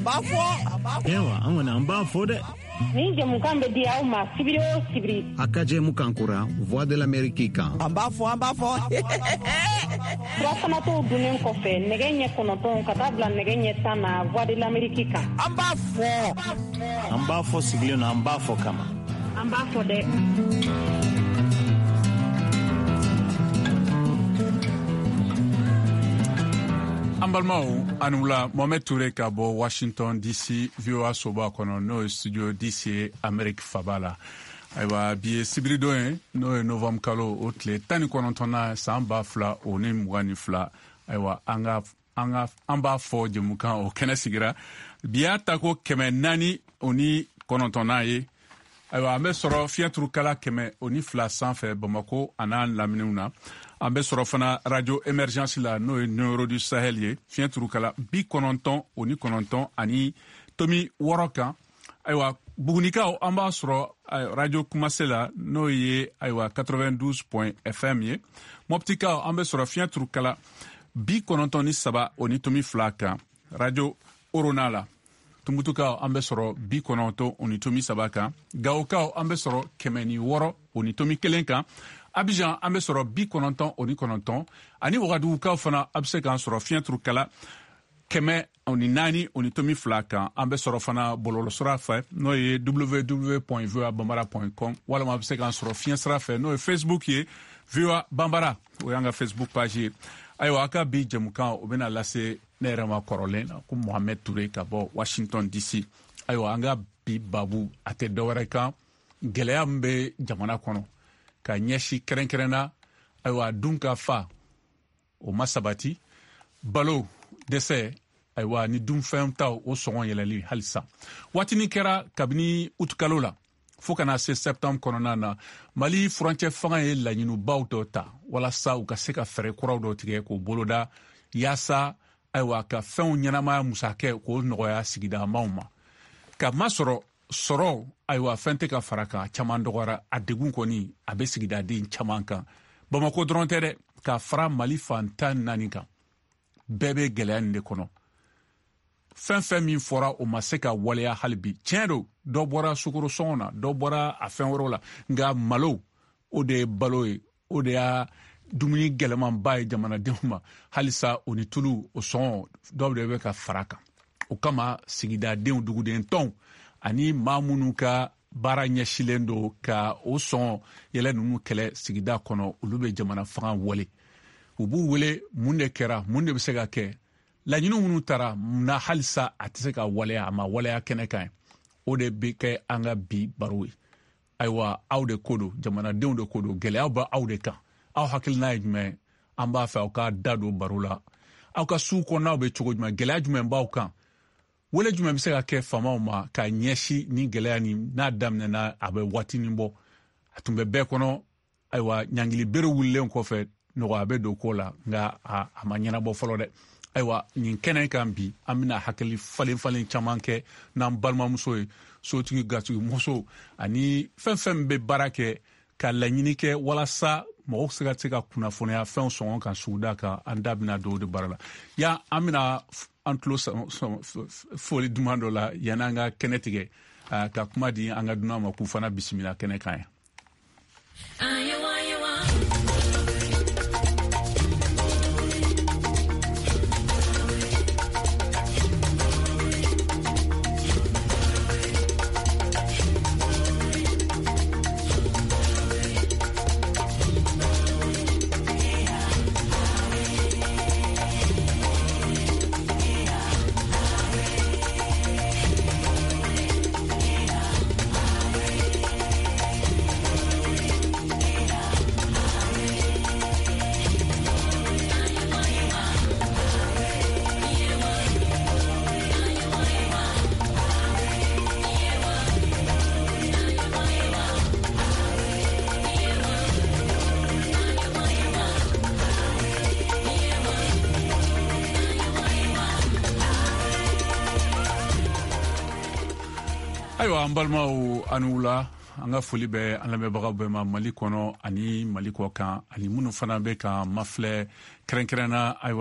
b'a fɔ. Ayiwa, an kɔni an b'a fɔ dɛ. Nin jɛmukan bɛ di aw ma sibiri o sibiri. A ka jɛmukan kura Voix de l'Amérique kan. An b'a fɔ, an b'a fɔ. Surafanatɔw dunnen kɔfɛ nɛgɛ ɲɛ 9 ka taa bila nɛgɛ ɲɛ 10 na Voix de l'Amérique kan. An b'a fɔ. An b'a fɔ sigilen na, an b'a fɔ kama. An b'a fɔ dɛ. An balimaw, a ni wula. Mohamed Toure ka bɔ Washington DC, VOA soba kɔnɔ, n'o ye studio DC ye Amerique faba la. Ayiwa, bi ye sibiridon ye, n'o ye novembre kalo o tile 19nan san 2022. Ayiwa, an ka an ka an b'a fɔ jɛmukan o kɛnɛ sigira bi y'a ta ko 409nan ye. Ayiwa, an bɛ sɔrɔ fiɲɛturukala 102 sanfɛ Bamako an'a laminiw na. An bɛ sɔrɔ fana radio émergence la, n'o ye Nioro du Sahel ye, fiɲɛturukala 99.6 kan. Ayiwa, Bugunikaw, an b'a sɔrɔ radio Kumase la, n'o ye ayiwa 92 point fm ye. Mɔptikaw, an bɛ sɔrɔ fiɲɛturukala 93.2 kan radio Orona la. Tumutukaw, an bɛ sɔrɔ 90.3 kan. Gawokaw, an bɛ sɔrɔ 106.1 kan. Abidjan, an bɛ sɔrɔ 99, ani Wagadugukaw fana, a bɛ se k'an sɔrɔ fiɲɛturukala 104.2 kan. An bɛ sɔrɔ fana bɔlɔlɔsira fɛ, n'o ye www point voa bambara point com, walima a bɛ se k'an sɔrɔ fiɲɛsira fɛ, n'o ye Facebook ye, VOA Bambara, o y'an ka Facebook page ye. Ayiwa, a ka bi jɛmukan o bɛna lase ne yɛrɛ ma kɔrɔlen na ko Mohamed Toure ka bɔ Washington DC. Ayiwa, an ka bi babu a tɛ dɔwɛrɛ kan, gɛlɛya min bɛ jamana kɔnɔ ka ɲɛsin kɛrɛnkɛrɛnna, ayiwa, dunkafa o ma sabati, balo dɛsɛ, ayiwa, ni dunfɛn taw o sɔngɔ yɛlɛli halisa. Waatinin kɛra kabini utukalo la fo ka na se septembre kɔnɔna na, Mali furancɛ fanga ye laɲinibaw dɔ ta walasa u ka se ka fɛɛrɛ kuraw dɔ tigɛ k'o boloda, yaasa ayiwa ka fɛnw ɲɛnamaya musakɛ k'o nɔgɔya sigidamaw ma. Ka masɔrɔ sɔrɔ, ayiwa, fɛn tɛ ka fara kan, caman dɔgɔyara, a degun kɔni a bɛ sigidaden caman kan. Bamako dɔrɔn tɛ dɛ, ka fara Mali fan 14 kan, bɛɛ bɛ gɛlɛya nin de kɔnɔ. Fɛn fɛn min fɔra, o ma se ka waleya hali bi. Tiɲɛ don, dɔ bɔra sukaro sɔngɔ na, dɔ bɔra a fɛn wɛrɛw la, nka malo, o de ye balo ye, o de y'a dumuni gɛlɛmanba ye jamanadenw ma halisa. O ni tulu, o sɔngɔ dɔw de bɛ ka fara kan. O kama sigidadenw, duguden tɔnw ani maa minnu ka baara ɲɛsilen don ka o sɔngɔ yɛlɛ ninnu kɛlɛ sigida kɔnɔ, olu bɛ jamana fanga wele. U b'u wele, mun de kɛra, mun de bɛ se ka kɛ, laɲini minnu taara na halisa a tɛ se ka waleya, a ma waleya kɛnɛ kan ye. O de bɛ kɛ an ka bi baro ye. Ayiwa, aw de ko don, jamanadenw de ko don, gɛlɛyaw bɛ aw de kan. Aw hakilina ye jumɛn ye? An b'a fɛ aw ka da don baro la. Aw ka sugu kɔnɔnaw bɛ cogo jumɛn? Gɛlɛya jumɛn b'aw kan? Wele jumɛn bɛ se ka kɛ faamaw ma ka ɲɛsin ni gɛlɛya nin n'a daminɛna, a bɛ waatinin bɔ, a tun bɛ bɛɛ kɔnɔ. Ayiwa, ɲangili bere wulilen kɔfɛ, nɔgɔya bɛ don ko la, nka a ma ɲɛnabɔ fɔlɔ dɛ. Ayiwa, nin kɛnɛ kan bi, an bɛna hakili falen falen caman kɛ n'an balimamuso ye, sotigi, gatigimuso ani fɛn fɛn bɛ baara kɛ ka laɲini kɛ walasa mɔgɔw se ka se ka kunnafoniya fɛnw sɔngɔ kan suguda kan. An da bɛna don o de baara la. Yan, an bɛna an tulo foli duman dɔ la yanni an ka kɛnɛ tigɛ, ka kuma di an ka dunan ma k'u fana bisimila kɛnɛ kan yan. Ayiwa, an balimaw, a ni wula. An ka foli bɛ an lamɛnbagaw bɛɛ ma Mali kɔnɔ ani Mali kɔ kan, ani minnu fana bɛ ka mafilɛ kɛrɛnkɛrɛnna. Ayiwa.